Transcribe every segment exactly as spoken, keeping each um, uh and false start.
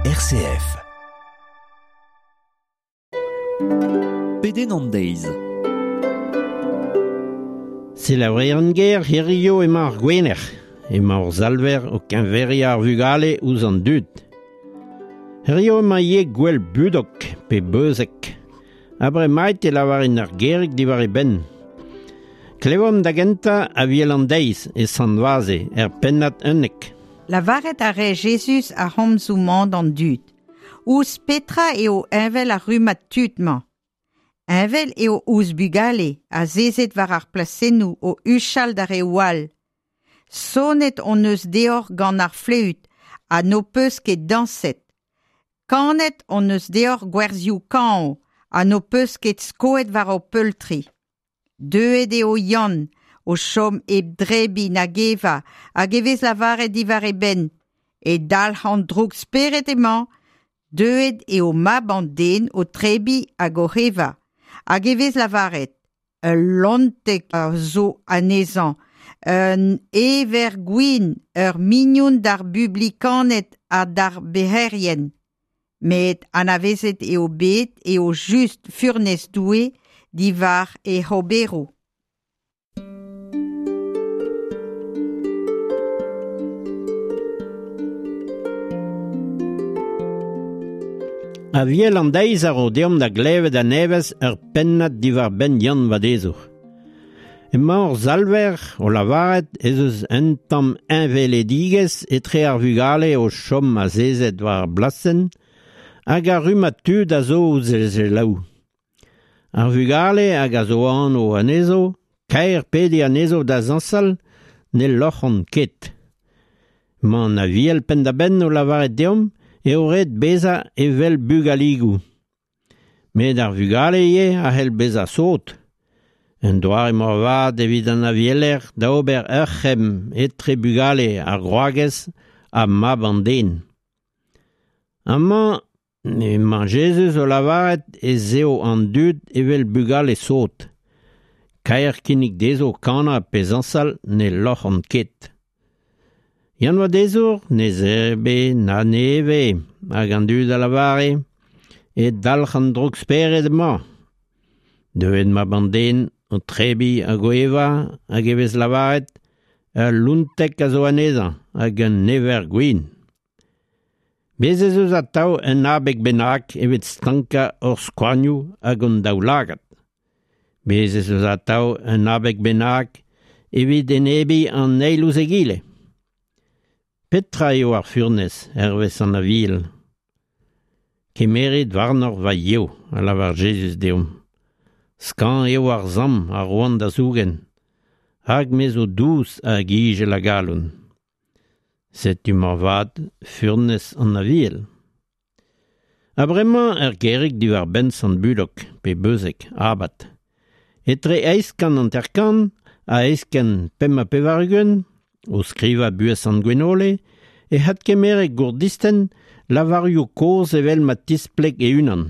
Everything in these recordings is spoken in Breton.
R C F. Pedenn an deiz. Selaouer ger, hirio emañ ar Gwener. Emañ hor Salver o keñveriañ ar vugale ouzh an dud. Hirio emañ ivez gouel Budok pe Beuzeg. Ha bremaik e lavarin ar gerig diwar e benn. Klevomp da gentañ Aviel an deiz e Sant-Vaze, er pennad unnek. Lavaret a rae Jezuz ar c'homzoù-mañ d'an dud. Ouzh petra eo heñvel ar rummad tud-mañ? Heñvel eo ouzh bugale azezet war ar plasennoù o huchal d'ar reoù all. Sonet hon eus deoc'h gant ar fleüt ha n'ho peus ket dañset. Kanet hon eus deoc'h gwerzioù kañv ha n'ho peus ket skoet war ho peultri. Deuet eo Yann o chom hep debriñ nag evañ hag e vez lavaret diwar e benn. E dalc'h an drouk-spered emañ. Deuet eo mab an den o tebriñ hag o evañ. Hag e vez lavaret ul lontek a zo anezhañ, un ever gwin, ur mignon d'ar bublikaned ha d'ar bec'herien. Met anavezet eo bet eo just furnez Doue diwar e oberoù. Aviel an deiz a ro deomp da glevet a-nevez ur pennad diwar-benn Yann Vadezour. Emañ hor Salver o lavaret ez eus un tamm heñveledigezh etre ar vugale o chom azezet war ar blasenn hag ar rummad tud a zo ouzh e selaou. Ar vugale hag a zo anv anezho, kaer pediñ anezho da zañsal, ne loc'hont ket. Emañ an Aviel penn-da-benn o lavaret deomp eo ret bezañ evel bugaligoù. Met ar vugale ivez a c'hell bezañ sot. Un doare moarvat evit an avieler da ober ur c'hemm etre bugale ar gwragez ha mab an den. Amañ emañ Jezuz o lavaret ez eo an dud evel bugale sot. Kaer kinnig dezho kanañ pe zañsal ne loc'hont ket. Yann Vadezour ne zebre na ne eve, hag an dud a lavare, e dalc'h an drouk-spered emañ. Deuet mab an den o tebriñ hag o evañ hag e vez lavaret ul lountek a zo anezhañ hag un ever gwin. Bez' ez eus atav un abeg bennak evit stankañ hor skouarnioù hag hon daoulagad. Bez' ez eus atav un abeg bennak evit enebiñ an eil ouzh egile. Petra eo ar furnez, hervez an Aviel? Kemerit warnoc'h va yev, a lavar Jezuz deomp. Skañv eo ar samm a roan da zougen, hag me zo dous hag izel a galon. Setu moarvat furnez an Aviel. Ha bremañ ur gerig diwar-benn Sant Budok, pe Beuzeg, abad. Etre eizh kant hanter-kant ha eizh kant pemp ha pevar-ugent, o skrivañ buhez Sant Gwenole, e adkemere Gourdisten lavarioù kozh evel ma tispleg e-unan.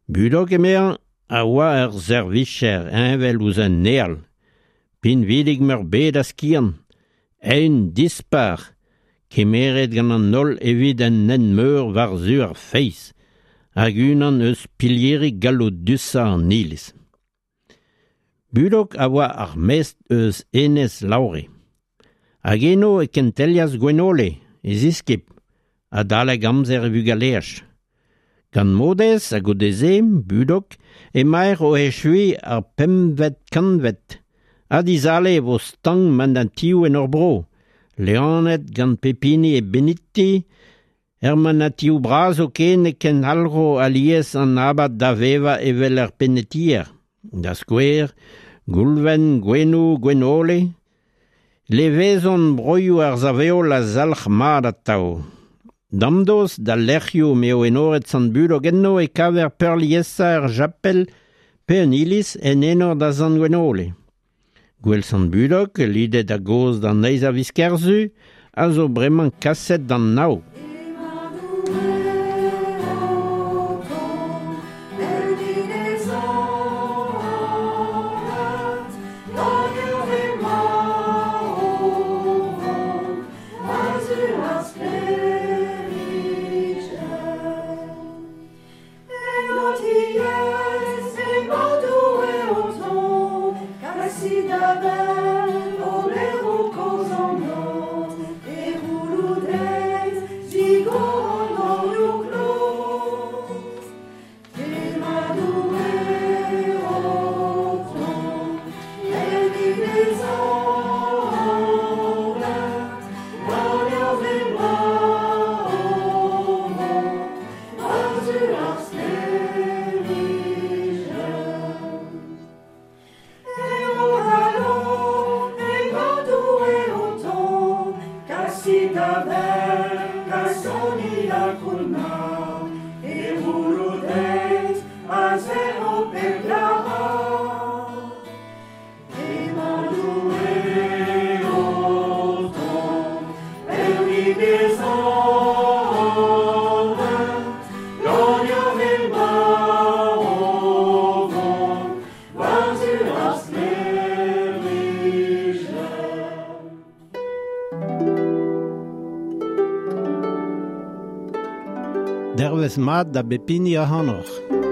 Budok emezañ a oa ur servijer heñvel ouzh un ael, pinvidik meurbet a skiant, eeun dispar, kemeret gant an holl evit un hent meur war-zu ar feiz, hag unan eus pilieri galloudusañ an Iliz. Budok a oa ar mestr eus Enez Laure. Hag eno e kentelias Gwenole, e ziskibl, adalek amzer e vugaleaj. Gant Maodez ha goude-se, Budok, emaer o echuiñ ar pempvet kantved. Ha dizale e vo stank manatioù en hor bro, leaned gant pep hini e beniti, er manatioù bras zoken e kendalc'ho alies an abad da vevañ evel ur penetier. Da skouer, Goulven, Gouenoù, Gwenole. Levezon broioù ar sav-heol a zalc'h mat atav. Damdost d'al lec'hioù m'eo enoret Sant Budok enno e kaver peurliesañ ur chapel pe un iliz en enor da Sant Gwenole. Gouel Sant Budok, lidet a-gozh d'an eizh a viz Kerzu, a zo bremañ kaset d'an nav. Dervez mat da bep hini ac'hanoc'h.